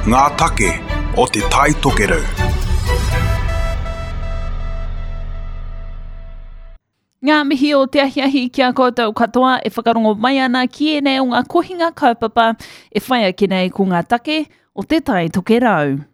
Ngā take o Te Tai Tokerau. Ngā mihi o te ahiahi ki a koutou katoa e whakarongo mai ana ki ēnei o ngā kohinga kaupapa e whai ake nei ko ngā take o Te Tai Tokerau.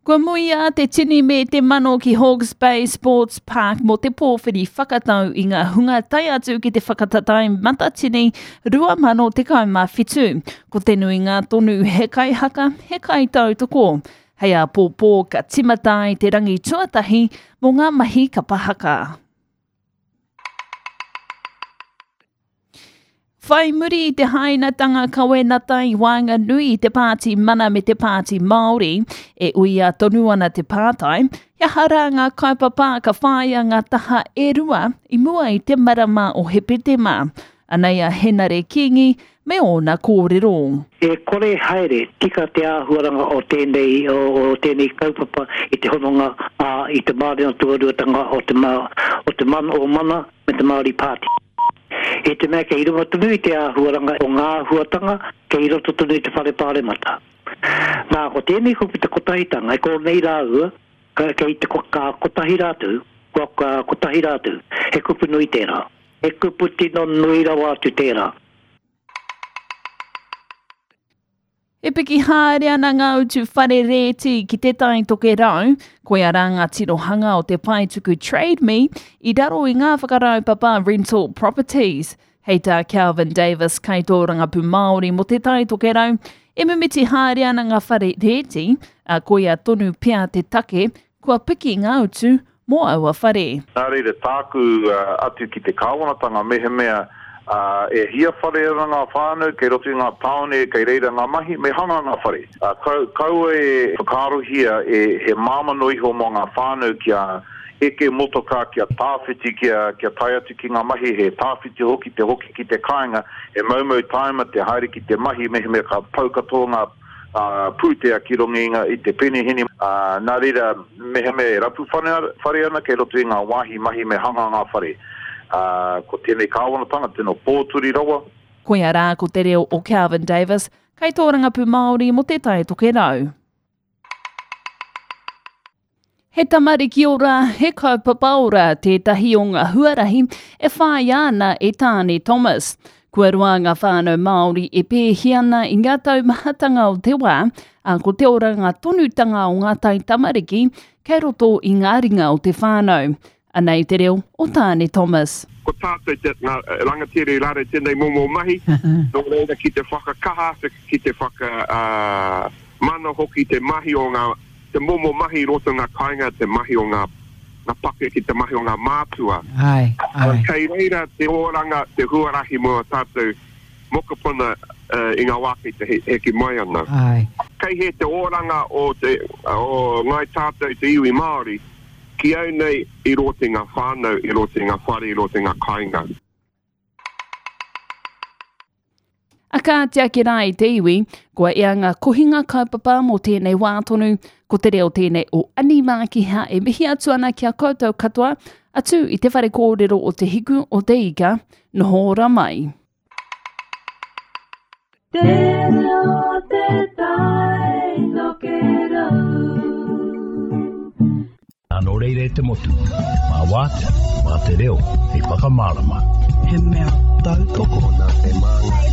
Kua muia te tini me te mano ki Hawke's Bay Sports Park mō te pōwhiri whakatau i ngā hunga tae atu ki te whakatatae matatini 2017. Ko te nuinga tonu he kaihaka, he kaitautoko. Hei āpōpō ka timata ai te rangi tuatahi mō ngā mahi kapa haka. Whai muri i te hainatanga kawenata i waenganui i te Pāti Mana me te Pāti Māori, e uia tonu ana te pātai, he aha rā ngā kaupapa ka whāia ngā taha e rua i mua i te marama o Hepetema? Anei a Henare Kingi me ōna kōrero. E kore haere tika te āhuaranga o tēnei, o tēnei kaupapa i te hononga, ā, i te mārena tuaruatanga o te, o te mana, o Mana me te Māori Party. I te mea kei runga tonu i te āhuaranga o ngā āhuatanga kei roto tonu i te Whare Pāremata. Nā, ko tēnei kupu te kotahitanga, e kō nei rāua, kei te, ka kotahi rātou, kua, ka kotahi rātou. He kupu nui tērā. He kupu tino nui rawa atu tērā. E piki haere ana ngā utu whare rēti ki Te Tai Tokerau, koia rā ngā tirohanga o te paetuku Trade Me i raro i ngā whakaraupapa Rental Properties. Hei tā Kelvin Davis, kaitōrangapū Māori mō Te Tai Tokerau, e mimiti haere ana ngā whare rēti, ā, koia tonu pea te take kua piki ngā utu mō aua whare. Nā reira, tāku atu ki te kāwanatanga, mehemea e hia whare ana ngā whānau kei roto i ngā tāone kei reira ngā mahi, me hanga ngā whare. Kaua e whakaarohia he māmā noa iho mō ngā whānau kia eke motokā, kia tāwhiti, kia tae atu ki ngā mahi, he tāwhiti hoki te hoki ki te kāinga, he moumou tāima te haere ki te mahi mehemea ka pau katoa ngā pūtea ki runga i te penihini, ā, nā reira, mehemea e rapu whare ana kei roto i ngā wāhi mahi me hanga ngā whare. Ā, ko tēnei kāwanatanga tino pōturi rawa. Koia rā ko te reo o Kelvin Davis, kaitōrangapū Māori mō Te Tai Tokerau. He tamariki ora, he kaupapa ora tētahi o ngā huarahi e whāia ana e Tāne Thomas. Kua roa ngā whānau Māori e pēhi ana i ngā taumahatanga o te wā, ā, ko te oranga tonutanga o ngā taitamariki kei roto i ngā ringa o te whānau. Anei te reo o Tāne Thomas. Ko tātou te, ngā rangatira i raro i tēnei momo mahi, nō reira ki te whakakaha, ki te whaka, mana hoki te mahi o ngā, te momo mahi i roto i ngā kāinga, te mahi o ngā, ngā pakeke, te mahi o ngā mātua. Āe, āe. Kei reira te oranga, te huarahi mō ā tātou mokopuna i ngā wā kei te heke mai ana. Āe. Kei hē te oranga o te, o Ngāi Tātou, te iwi Māori, ki au nei i roto i ngā whānau, i roto i ngā whare, i roto i ngā kāinga. A ka tiaki rā i te iwi, kua ea ngā kohinga kaupapa mō tēnei wā tonu, ko te reo tēnei o Ani Mākiha e mihi atu ana ki a koutou katoa, atu i te whare kōrero o Te Hiku o Te Ika, noho ora mai. Te reo o te tai tokerau. Nō reira e te motu, mā Wātea, mā te reo hei whakamārama. He mea tautoko nā te māngai.